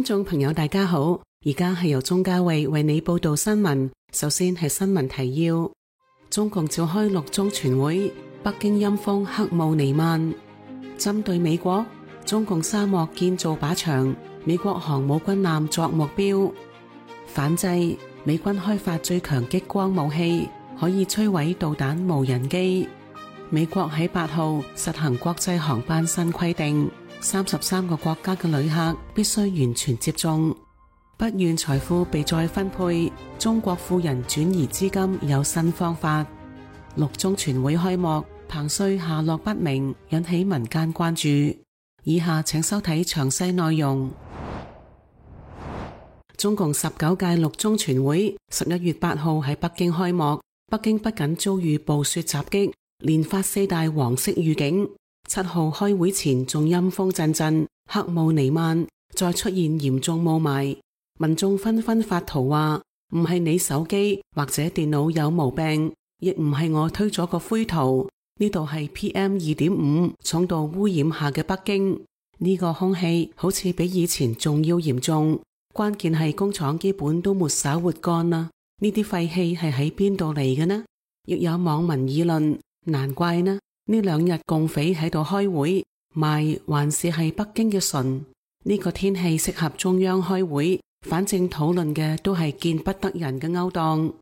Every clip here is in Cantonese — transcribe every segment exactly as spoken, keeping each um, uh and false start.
眾朋友大家好，而家係由鍾嘉慧為你報道新聞。首先係新聞提要：中共召開六中全會，北京陰風黑霧彌漫。針對美國，中共沙漠建造靶場，美國航母軍艦作目標。反制，美軍開發最強激光武器，可以摧毀導彈無人機。美國喺八號實行國際航班新規定，三十三個國家嘅旅客必須完全接種。不願財富被再分配，中國富人轉移資金有新方法。六中全會開幕，彭帥下落不明，引起民間關注。以下請收睇詳細內容。中共十九屆六中全會十一月八號喺北京開幕，北京不僅遭遇暴雪襲擊，連發四大黃色預警。七號開會前仲陰風陣陣，黑霧彌漫，再出現嚴重霧霾，民眾紛紛發圖話唔係你手機或者電腦有毛病，亦唔係我推咗個灰圖，呢度係 P M 二點五 重度污染下嘅北京，呢個空氣好似比以前仲要嚴重，關鍵係工廠基本都沒灑活乾啦，呢啲廢氣係喺邊度嚟嘅呢？亦有網民議論，難怪呢。呢兩日共匪喺度開會，霾還是係北京嘅唇。呢個天氣適合中央開會，反正討論嘅都係見不得人嘅勾當。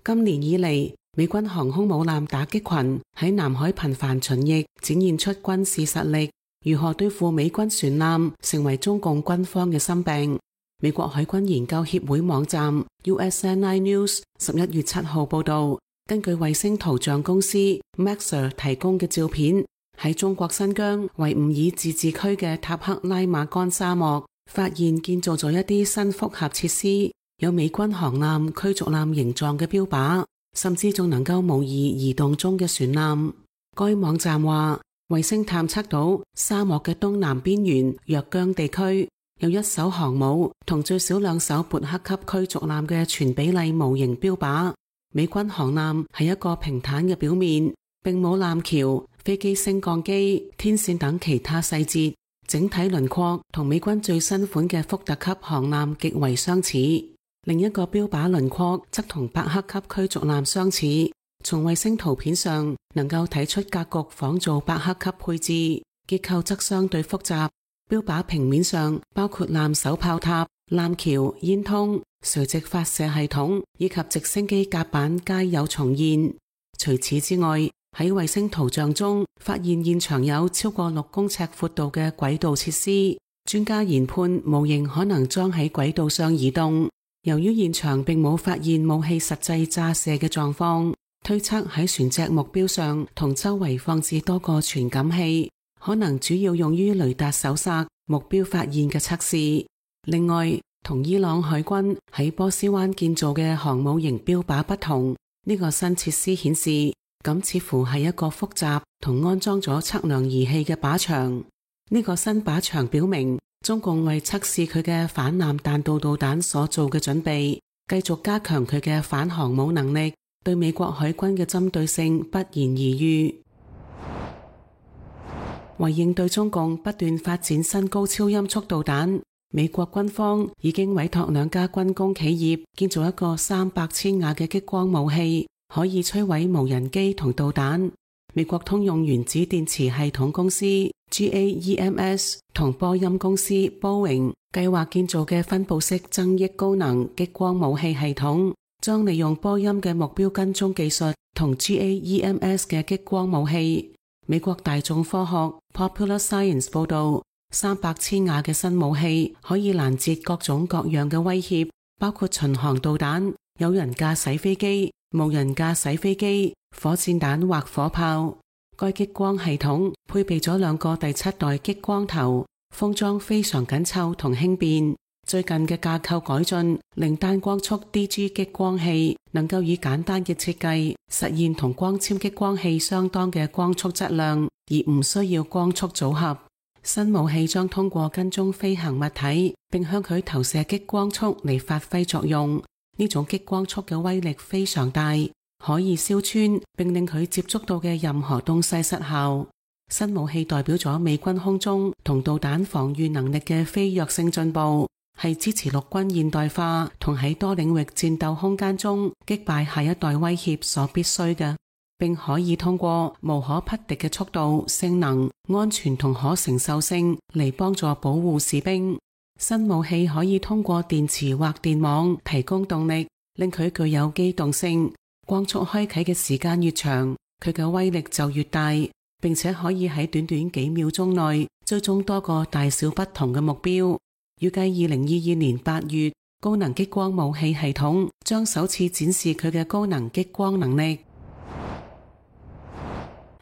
今年以嚟，美軍航空母艦打擊群喺南海頻繁巡弋，展現出軍事實力。如何對付美軍船艦，成為中共軍方嘅心病。美國海軍研究協會網站 U S N I News 十一月七號報道，根據衛星圖像公司 Maxar 提供嘅照片，喺中國新疆維吾爾自治區嘅塔克拉瑪干沙漠，發現建造咗一啲新複合設施，有美軍航艦、驅逐艦形狀嘅標靶，甚至仲能夠模擬移動中嘅船艦。該網站話，衛星探測到沙漠嘅東南邊緣若江地區，有一艘航母同最少兩艘勃克級驅逐艦嘅全比例模型標靶。美軍航艦係一個平坦嘅表面，並冇艦橋、飛機升降機、天線等其他細節，整體輪廓同美軍最新款嘅福特級航艦極為相似。另一個標靶輪廓則同伯克級驅逐艦相似，從衛星圖片上能夠睇出格局仿造伯克級配置，結構則相對複雜。標靶平面上包括艦首炮塔、艦橋、煙通、垂直發射系統以及直升機甲板皆有重現。除此之外，喺衛星圖像中發現現場有超過六公尺闊度嘅軌道設施，專家研判模型可能裝喺軌道上移動。由於現場並冇發現武器實際炸射嘅狀況，推測喺船隻目標上同周圍放置多個傳感器，可能主要用於雷達搜索、目標發現嘅測試。另外，同伊朗海軍喺波斯灣建造嘅航母型標靶不同，呢個新設施顯示，咁似乎係一個複雜同安裝咗測量儀器嘅靶場。呢個新靶場表明，中共為測試佢嘅反艦彈道導彈所做嘅準備，繼續加強佢嘅反航母能力，對美國海軍嘅針對性不言而喻。為應對中共不斷發展新高超音速導彈，美國軍方已經委託兩家軍工企業建造一個三百千瓦嘅激光武器，可以摧毀無人機同導彈。美國通用原子電池系統公司 G A E M S 同波音公司 Boeing 計劃建造嘅分布式增益高能激光武器系統，將利用波音嘅目標跟蹤技術同 G A E M S 嘅激光武器。美國大眾科學 Popular Science 報道，三百千瓦嘅新武器可以攔截各種各樣嘅威脅，包括巡航導彈、有人駕駛飛機、無人駕駛飛機、火箭彈或火炮。該激光系統配備咗兩個第七代激光頭，封裝非常緊湊同輕便。最近嘅架構改進令單光速 D G 激光器能夠以簡單嘅設計實現同光纖激光器相當嘅光速質量，而唔需要光速組合。新武器將通過跟蹤飛行物體，並向佢投射激光束嚟發揮作用。呢種激光束嘅威力非常大，可以燒穿並令佢接觸到嘅任何東西失效。新武器代表咗美軍空中同導彈防禦能力嘅飛躍性進步，係支持陸軍現代化同喺多領域戰鬥空間中擊敗下一代威脅所必須嘅，並可以通過無可匹敵嘅速度、性能、安全同可承受性嚟幫助保護士兵。新武器可以通過電池或電網提供動力，令佢具有機動性。光速開啟嘅時間越長，佢嘅威力就越大，並且可以喺短短幾秒鐘內追蹤多個大小不同嘅目標。預計二零二二年八月，高能激光武器系統將首次展示佢嘅高能激光能力。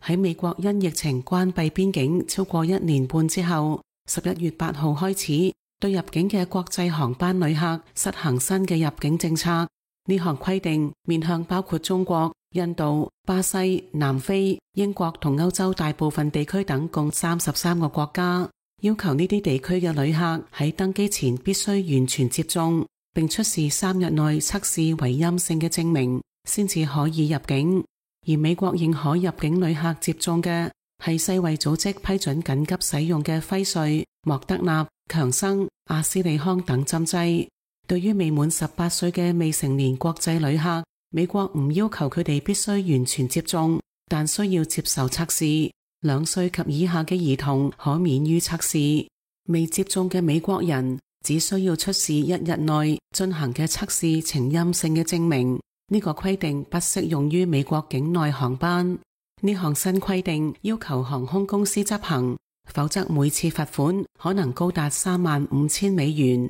喺美國因疫情關閉邊境超過一年半之後，十一月八號開始對入境嘅國際航班旅客實行新嘅入境政策。呢項規定面向包括中國、印度、巴西、南非、英國同歐洲大部分地區等共三十三個國家，要求呢啲地區嘅旅客喺登機前必須完全接種，並出示三日內測試為陰性嘅證明，先至可以入境。而美國認可入境旅客接種嘅係世衛組織批准緊急使用嘅輝瑞、莫德納、強生、阿斯利康等針劑。對於未滿十八歲嘅未成年國際旅客，美國唔要求佢哋必須完全接種，但需要接受測試。兩歲及以下嘅兒童可免於測試。未接種嘅美國人只需要出示一日內進行嘅測試呈陰性嘅證明。呢個規定不適用於美國境內航班。呢項新規定要求航空公司執行，否則每次罰款可能高達三萬五千美元。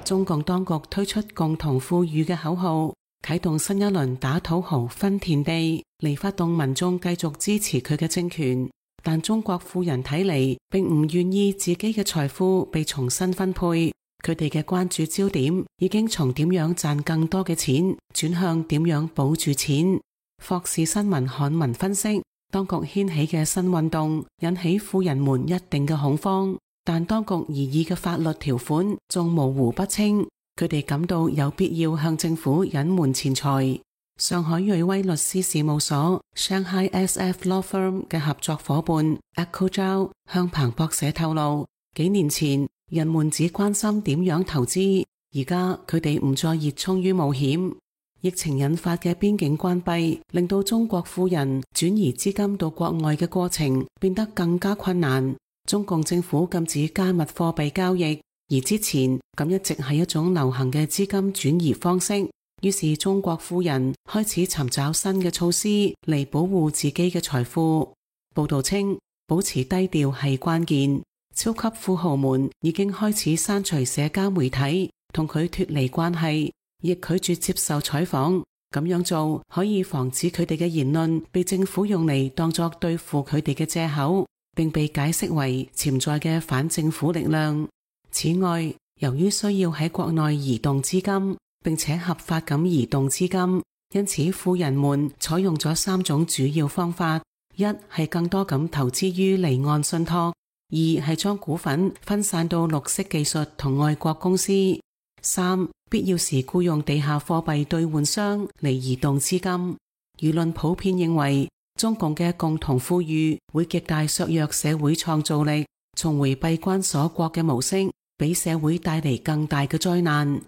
中共當局推出共同富裕嘅口號，啟動新一輪打土豪分田地，嚟發動民眾繼續支持佢嘅政權。但中國富人睇嚟並唔願意自己嘅財富被重新分配，佢哋嘅關注焦點已經從點樣賺更多嘅錢轉向點樣保住錢。霍士新聞刊文分析，當局掀起嘅新運動引起富人們一定嘅恐慌。但當局擬議嘅法律條款仲模糊不清，佢哋感到有必要向政府隱瞞錢財。上海瑞威律師事務所 Shanghai S F Law Firm 嘅合作伙伴 Echo Zhao 向彭博社透露，幾年前人們只關心點樣投資，而家佢哋唔再熱衷於冒險。疫情引發嘅邊境關閉，令到中國富人轉移資金到國外嘅過程變得更加困難。中共政府禁止加密貨幣交易，而之前咁一直係一種流行嘅資金轉移方式。於是中國富人開始尋找新嘅措施嚟保護自己嘅財富。報道稱，保持低調係關鍵。超級富豪們已經開始刪除社交媒體，同佢脫離關係，亦拒絕接受採訪。咁樣做可以防止佢哋嘅言論被政府用嚟當作對付佢哋嘅借口，並被解釋為潛在嘅反政府力量。此外，由於需要喺國內移動資金，並且合法咁移動資金，因此富人們採用咗三種主要方法：一係更多咁投資於離岸信託；二係將股份分散到綠色技術同外國公司；三必要時僱用地下貨幣兌換商嚟移動資金。輿論普遍認為，中共嘅共同富裕會極大削弱社會創造力，重回閉關鎖國嘅模式，俾社會帶嚟更大嘅災難。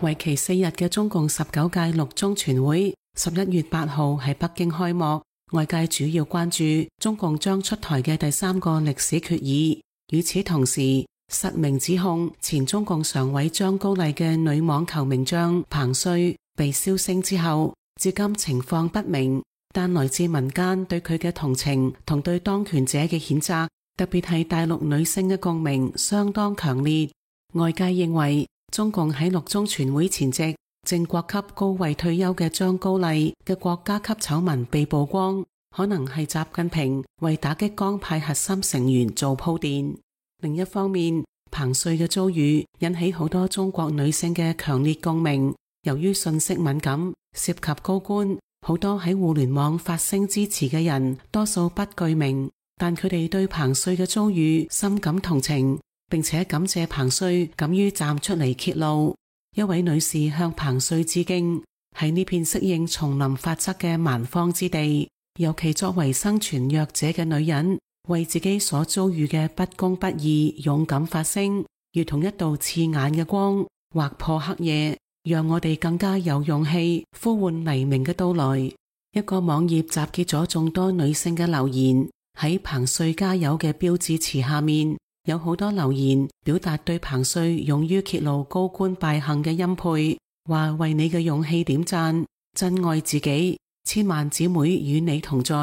為期四日嘅中共十九屆六中全會十一月八號喺北京開幕，外界主要關注中共將出台嘅第三個歷史決議。與此同時，實名指控前中共常委張高麗嘅女網球名將彭帥被銷聲之後，至今情況不明，但來自民間對佢嘅同情同對當權者嘅譴責，特別係大陸女性嘅共鳴相當強烈。外界認為，中共喺六中全會前夕，正國級高位退休嘅張高麗嘅國家級醜聞被曝光，可能係習近平為打擊江派核心成員做鋪墊。另一方面，彭帥嘅遭遇引起好多中國女性嘅強烈共鳴。由於信息敏感，涉及高官，好多喺互聯網發聲支持嘅人多數不具名，但佢哋對彭帥嘅遭遇深感同情，並且感謝彭帥敢於站出嚟揭露。一位女士向彭帥致敬，喺呢片適應叢林法則嘅蠻荒之地，尤其作為生存弱者嘅女人，為自己所遭遇嘅不公不義勇敢發聲，如同一道刺眼嘅光，劃破黑夜，讓我哋更加有勇氣呼喚黎明嘅到來。一個網頁集結咗眾多女性嘅留言，喺彭帥加油嘅標誌詞下面，有好多留言表達對彭帥勇於揭露高官敗行嘅欽佩，話為你嘅勇氣點讚，珍愛自己，千萬姊妹與你同在。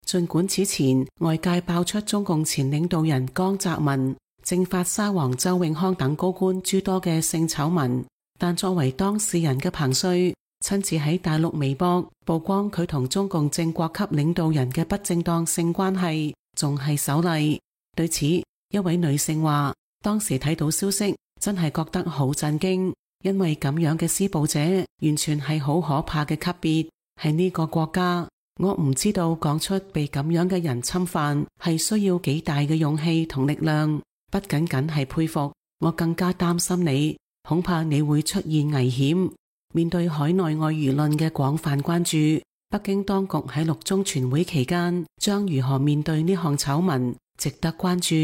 儘管此前外界爆出中共前領導人江澤民、政法沙皇周永康等高官諸多嘅性醜聞，但作為當事人嘅彭帥親自喺大陸微博曝光佢同中共正國級領導人嘅不正當性關係，仲係首例。對此，一位女性話，當時睇到消息真係覺得好震驚，因為咁樣嘅施暴者完全係好可怕嘅級別。喺呢個國家，我唔知道講出被咁樣嘅人侵犯係需要幾大嘅勇氣同力量，不僅僅係佩服，我更加擔心你，恐怕你會出現危險。面對海內外輿論嘅廣泛關注，北京當局喺六中全會期間將如何面對呢項醜聞，值得關注。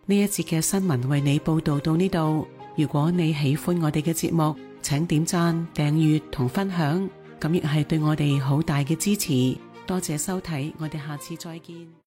呢一節嘅新聞為你報道到呢度，如果你喜歡我哋嘅節目，請點讚、訂閱同分享，咁亦係對我哋好大嘅支持。多謝收睇，我哋下次再見。